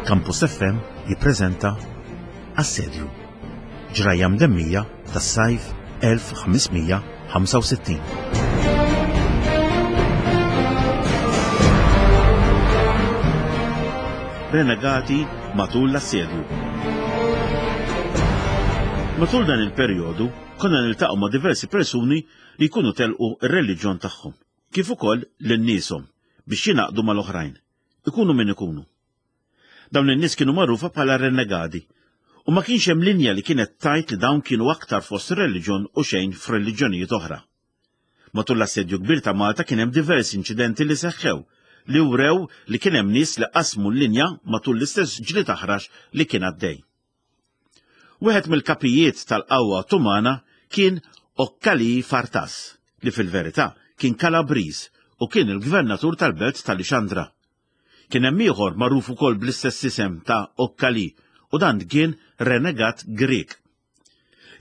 Campus FM jippreżenta Assedju. Ġrajja mdemmija tas-sajf 1565. Renegati matul l-assedju. Matul dan il-perjodu konna niltaqgħu ma' diversi persuni li jkunu telqu r-reliġjon tagħhom, kif ukoll lil nieshom biex jingħaqdu mal-oħrajn, ikunu min ikunu. Dawn in-nies kienu magħrufa bħala renegadi, u ma kienx hemm linja li kienet tgħid li dawn kienu aktar fost reliġjon u xejn f'reliġjonijiet oħra. Matul l-Assedju Kbir ta' Malta kien hemm diversi inċidenti li seħħew li wrew li kien hemm nies li qasmu l-linja matul l-istess ġlied aħrax li kien għaddej. Wieħed mill-kapijiet tal-qawwa Ottomana kien Okkali Fartas, li fil-verità kien Kalabriż u kien il-gvernatur tal-belt ta' Lixandra. Kien hemm ieħor magħruf ukoll bl-istess isem ta' Okkali u dan kien renegat Grieg.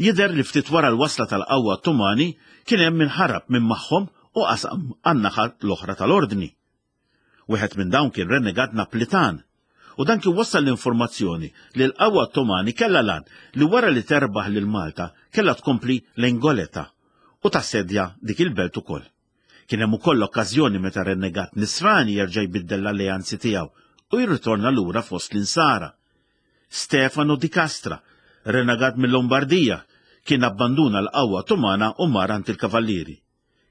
Jidher li ftit wara l-wasla tal-qawwa Ottomani kien hemm min ħarab minn magħhom u qasam għan-naħa l-oħra tal-Ordni. Wieħed minn dawn kien renegat Naplitan, u dan kien wassal l-informazzjoni li l-qawwa Ottomani kellha l-għan li wara li terbaħ lil Malta kellha tkompli lejn Goleta u tassedja dik il-belt ukoll. Kien hemm ukoll okkażjoni meta renegat Nisrani jerġa' jbiddel l-alleanzi tiegħu u jirritorna lura fost l-Insara. Stefano di Castra, renegat mil-Lombardija, kien abbanduna l-qawwa Ottomana u mar għand il-Kavallieri.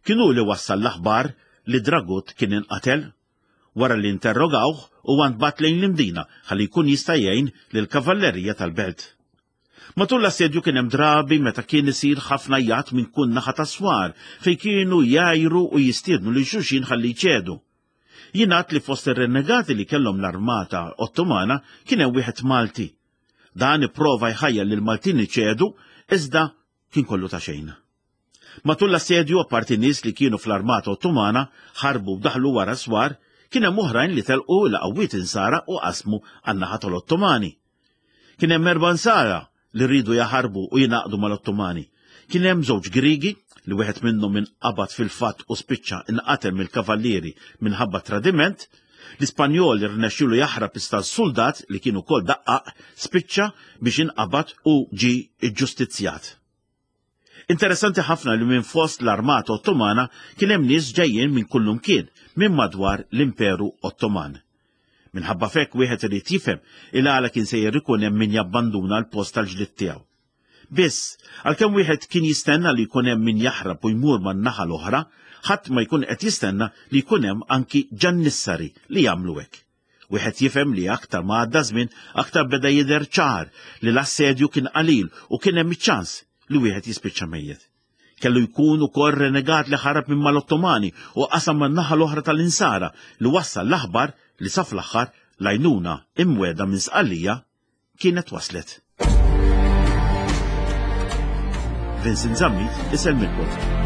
Kien hu li wassal l-aħbar li Dragut kien inqatel. Wara li interrogawh, huwa ntbagħat lejn l-Imdina ħalli jkun jista' jgħin lill-kavallerija tal-belt. Matul l-assedju kien hemm drabi meta kien isir ħafna għajjat minn kull naħa tas-swar fejn kienu jgħajru u jistiednu lil xulxin ħalli jċedu. Jingħad li fost ir-renegati li kellhom l-armata Ottomana kien hemm wieħed Malti. Dan ipprova jħajjar lill-Maltin iċedu iżda kien kollu ta' xejn. Matul l-assedju, apparti nies li kienu fl-armata Ottomana ħarbu u daħlu wara s-swar, kien hemm oħrajn li telqu l-qawwiet Insara u qasmu għan-naħa tal-Ottomani. Kien hemm erba' Nsara li riedu jaħarbu u jingħaqdu mal-Ottomani. Kien hemm żewġ Griegi, li wieħed minnhom inqabad fil-fatt u spiċċa inqatel mill-kavallieri minħabba tradiment, L-Ispanjol irnexxielu jaħrab iżda s-suldat, li kien ukoll daqqaq, spiċċa biex inqabad u ġie ġġustizzjat. Interessanti ħafna li minn fost l-armata Ottomana kien hemm nies ġejjin minn kullumkien minn madwar l-Imperu Ottoman. Minħabba f'hekk wieħed irid jifhem il-għala kien sejjer ikun hemm min jabbanduna l-post tal-ġlied tiegħu. Biss, għalkemm wieħed kien jistenna li jkun hemm min jaħrab u jmur man-naħa l-oħra, ħadd ma jkun qed jistenna li jkun hemm anki ġannissari li jagħmlu hekk. Wieħed jifhem li aktar ma għadda żmien, aktar beda jidher ċar li l-assedju kien qalil u kien hemm iċ-ċans li wieħed jispiċċa mejjet. Kellu jkun ukoll renegat li ħarab minn mal-Ottomani u qasam man-naħa l-oħra tal-Insara li wassal l-aħbar li sa fl-aħħar l-għajnuna imwiegħda minn Sqallija kienet waslet. Vincent Zammit isellmilkom.